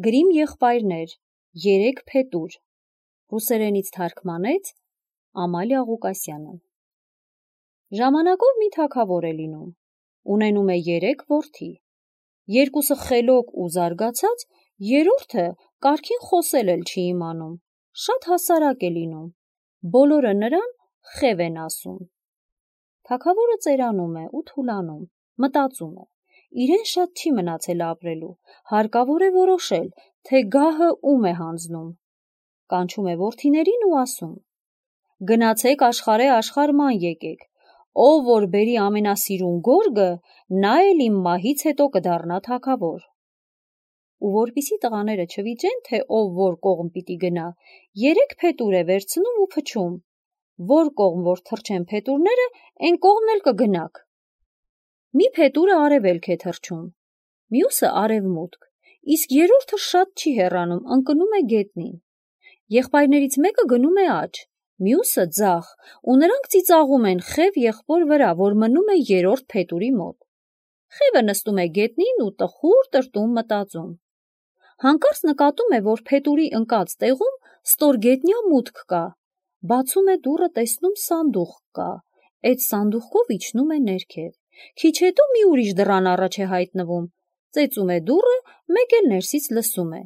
Գրիմ եղբայրներ, 3 փետուր, ռուսերենից թարգմանեց Ամալիա Ղուկասյանը։ Ժամանակով մի թագավոր է լինում, ունենում է 3 որդի, 2-ը խելոք ու զարգացած, 3-րդը կարգին խոսել էլ չի իմանում, շատ հասարակ է լինում, բոլորը նրան Խև են ասում։ Թագավորը ծերանում է ու թուլանում, մտածում է, իրեն շատ չի մնացել ապրելու, հարկավոր է որոշել, թե գահը ում է հանձնում։ Կանչում է որդիներին ու ասում. գնացեք աշխարհ ման եկեք, ով որ բերի ամենասիրուն գորգը, նա էլ իմ մահից հետո կդառնա թագավոր։ Ու որպիսի տղաները չվիճեն, թե ով որ կողմ պիտի գնա, 3 փետուր է վերցնում ու փչում, որ կողմ որ թռչեն փետուրները, այն կողմն էլ կգնաք։ Մի փետուրը արևելք է թռչում, մյուսը արևմուտք, իսկ 3-րդը շատ չի հեռանում, ընկնում է գետնին։ Եղբայրներից մեկը գնում է աջ, մյուսը ձախ, ու նրանք ծիծաղում են Խև եղբոր վրա, որ մնում է 3-րդ փետուրի մոտ։ Խևը նստում է գետնին ու տխուր տրտում մտածում։ Հանկարծ նկատում է, որ փետուրի ընկած տեղում ստորգետնյա մուտք կա, բացում է դուռը, տեսնում սանդուղք կա, այդ սանդուղքով իջնում է ներքև, քիչ հետո մի ուրիշ դռան առաջ է հայտնվում, ծեծում է դուռը, մեկ էլ ներսից լսում է.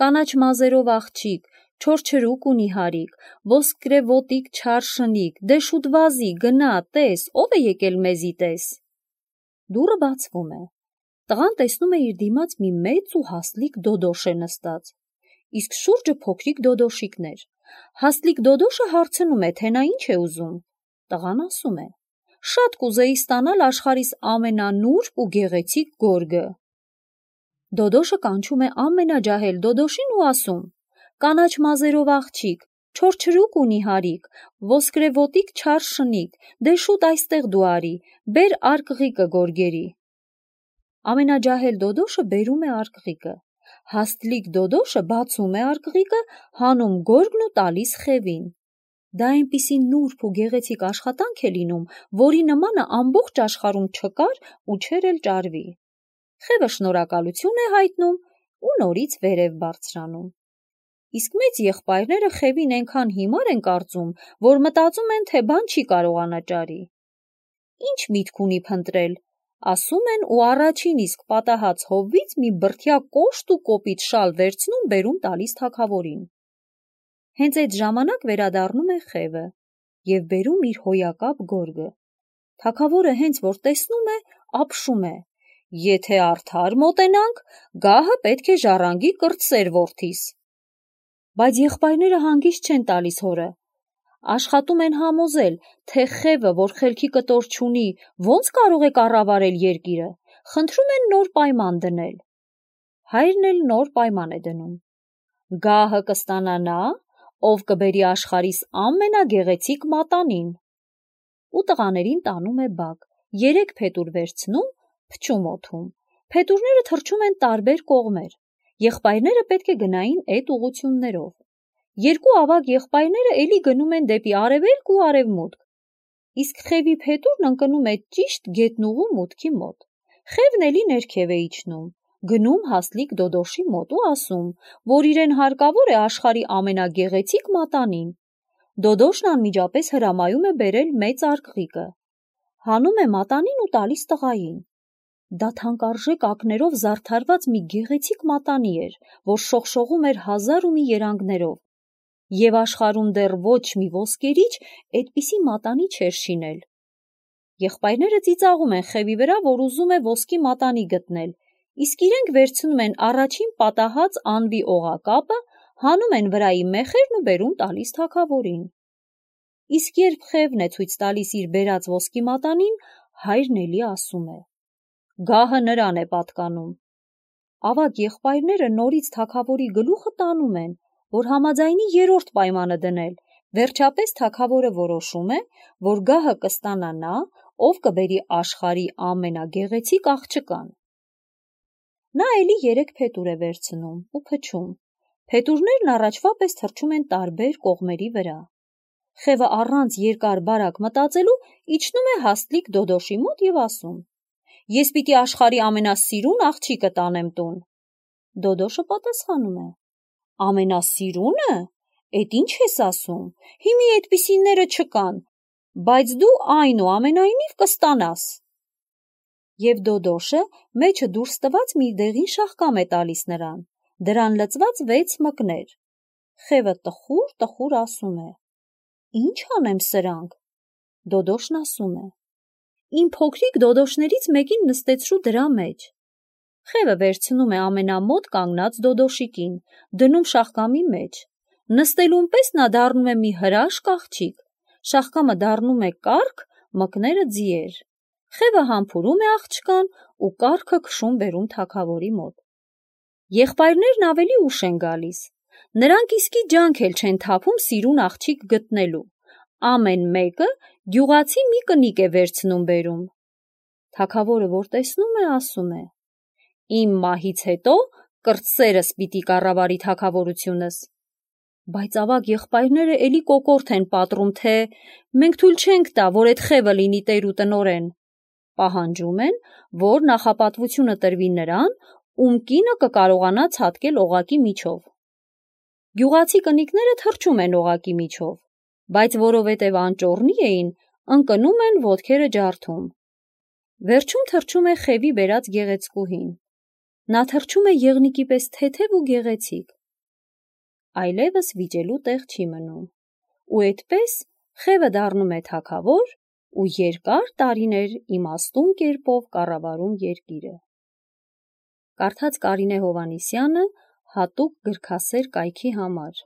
կանաչ մազերով աղջիկ, չորչրուկ ունի հարիկ, ոսկրեվոտիկ չար շնիկ, դե շուտ վազի, գնա, տես, ով է եկել մեզի պես։ Դուռը բացվում է, տղան տեսնում է իր դիմաց մի մեծ ու հասլիկ դոդոշ է նստած, իսկ շուրջը փոքրիկ դոդոշիկներ։ Հասլիկ դոդոշը հարցնում է, թե նա ինչ է ուզում։ Տղան ասում է. շատ կուզեի ստանալ աշխարհիս ամենանուրբ ու գեղեցիկ գորգը։ Դոդոշը կանչում է ամենաջահել դոդոշին ու ասում. կանաչ մազերով աղջիկ, չորչրուկ ունի հարիկ, ոսկրեվոտիկ չար շնիկ, դե շուտ այստեղ դու արի, բեր արկղիկը գորգերի։ Ամենաջահել դոդոշը բերում է արկղիկը, հասլիկ դոդոշը բացում է արկղիկը, հանում գորգն ու տալիս Խևին։ Դա այնպիսի նուրբ ու գեղեցիկ աշխատանք է լինում, որի նմանը ամբողջ աշխարհում չկար ու չէր էլ ճարվի։ Խևը շնորհակալություն է հայտնում ու նորից վերև բարձրանում։ Իսկ մեծ եղբայրները Խևին այնքան հիմար են կարծում, որ մտածում են, թե բան չի կարողանա ճարի։ Ինչ միտք ունի փնտրել, ասում են ու առաջին իսկ պատահած հովվից մի բրդյա կոշտ ու կոպիտ շալ վերցնում բերում տալիս թագավորին։ Հենց այդ ժամանակ վերադառնում է Խևը և բերում իր հոյակապ գորգը։ Թագավորը հենց որ տեսնում է, ապշում է. եթե արդար մոտենանք, գահը պետք է ժառանգի կրտսեր որդիս։ Բայց եղբայրները հանգիստ չեն տալիս հորը, աշխատում են համոզել, թե Խևը, որ խելքի կտոր չունի, ոնց կարող է կառավարել երկիրը, խնդրում են նոր պայման դնել։ Հայրն էլ նոր պայման է դնում. գահը կստանա նա, ով կբերի աշխարհիս ամենագեղեցիկ մատանին։ Ու տղաներին տանում է բակ, 3 փետուր վերցնում, փչում օդում, փետուրները թռչում են տարբեր կողմեր, եղբայրները պետք է գնային այդ ուղություններով։ 2 ավագ եղբայրները էլի գնում են դեպի արևելք ու արևմուտք, իսկ Խևի փետուրն ընկնում է ճիշտ գետնուղու մուտքի մոտ։ Խևն էլի ներքև է իջնում, գնում հասլիկ դոդոշի մոտ ու ասում, որ իրեն հարկավոր է աշխարհի ամենագեղեցիկ մատանին։ Դոդոշն անմիջապես հրամայում է բերել մեծ արկղիկը, հանում է մատանին ու տալիս տղային։ Դա թանկարժեք ակներով զարդարված մի գեղեցիկ մատանի էր, որ շողշողում էր 1000 ու մի երանգներով, և աշխարհում դեռ ոչ մի ոսկերիչ այդպիսի մատանի չէր շինել։ Եղբայրները ծիծաղում են Խևի վրա, որ ուզում է ոսկի մատանի գտնել, իսկ իրենք վերցնում են առաջին պատահած անվի օղակապը, հանում են վրայի մեխերն ու բերում տալիս թագավորին։ Իսկ երբ Խևն է ցույց տալիս իր բերած ոսկի մատանին, հայրն էլի ասում է. գահը նրան է պատկանում։ Ավագ եղբայրները նորից թագավորի գլուխը տանում են, որ համաձայնի 3-րդ պայմանը դնել, վերջապես թագավորը որոշում է, որ գահը կստանա նա, ով կբերի աշխարհի ամենագեղեցիկ աղջկան։ Նա էլի 3 փետուր է վերցնում ու փչում, փետուրներն առաջվա պես թռչում են տարբեր կողմերի վրա։ Խևը առանց երկար բարակ մտածելու իջնում է հասլիկ դոդոշի մոտ և ասում. ես պիտի աշխարհի ամենասիրուն աղջիկը տանեմ տուն։ Դոդոշը պատասխանում է. ամենասիրունը, էդ ինչ ես ասում, հիմի այդպիսիները չկան, բայց դու այնուամենայնիվ կստանաս։ Եվ Դոդոշը մեջը դուրս տված մի դեղին շաղկամ է տալիս նրան, դրան լցված 6 մկներ։ Խևը տխուր ասում է. ինչ անեմ սրանք։ Դոդոշն ասում է. իմ փոքրիկ դոդոշներից մեկին նստեցրու դրա մեջ։ Խևը վերցնում է ամենամոտ կանգնած դոդոշիկին, դնում շաղկամի մեջ։ Նստելուն պես նա դառնում է մի հրաշք աղջիկ, շաղկամը դառնում է կառք, մկները ձիեր։ Խևը համբուրում է աղջկան ու կառքը քշում բերում թագավորի մոտ։ Եղբայրներն ավելի ուշ են գալիս։ Նրանք իսկի ջանք էլ չեն թափում սիրուն աղջիկ գտնելու։ Ամեն մեկը գյուղացի մի կնիկ է վերցնում բերում։ Թագավորը, որ տեսնում է, ասում է. իմ մահից հետո կրտսերս պիտի կառավարի թագավորությունս։ Բայց ավագ եղբայրները էլի կոկորդ են պատռում, թե մենք թույլ չենք տա, որ այդ խևը լինի տեր ու տնօրեն։ Պահանջում են, որ նախապատվությունը տրվի նրան, ում կինը կկարողանա ցատկել օղակի միջով։ Գյուղացի կնիկները թռչում են օղակի միջով, բայց որովհետև անճոռնի էին, ընկնում են ոտքերը ջարդում։ Վերջում թռչում է խևի բերած գեղեցկուհին։ Նա թռչում է եղնիկի պես թեթև ու գեղեցիկ։ Այլևս վիճելու տեղ չի մնում։ Ու այդպես խևը դառնում է թագավոր ու երկար տարիներ իմաստուն կերպով կառավարում երկիրը։ Կարդաց Կարինե Հովհաննիսյանը հատուկ գրքասեր կայքի համար։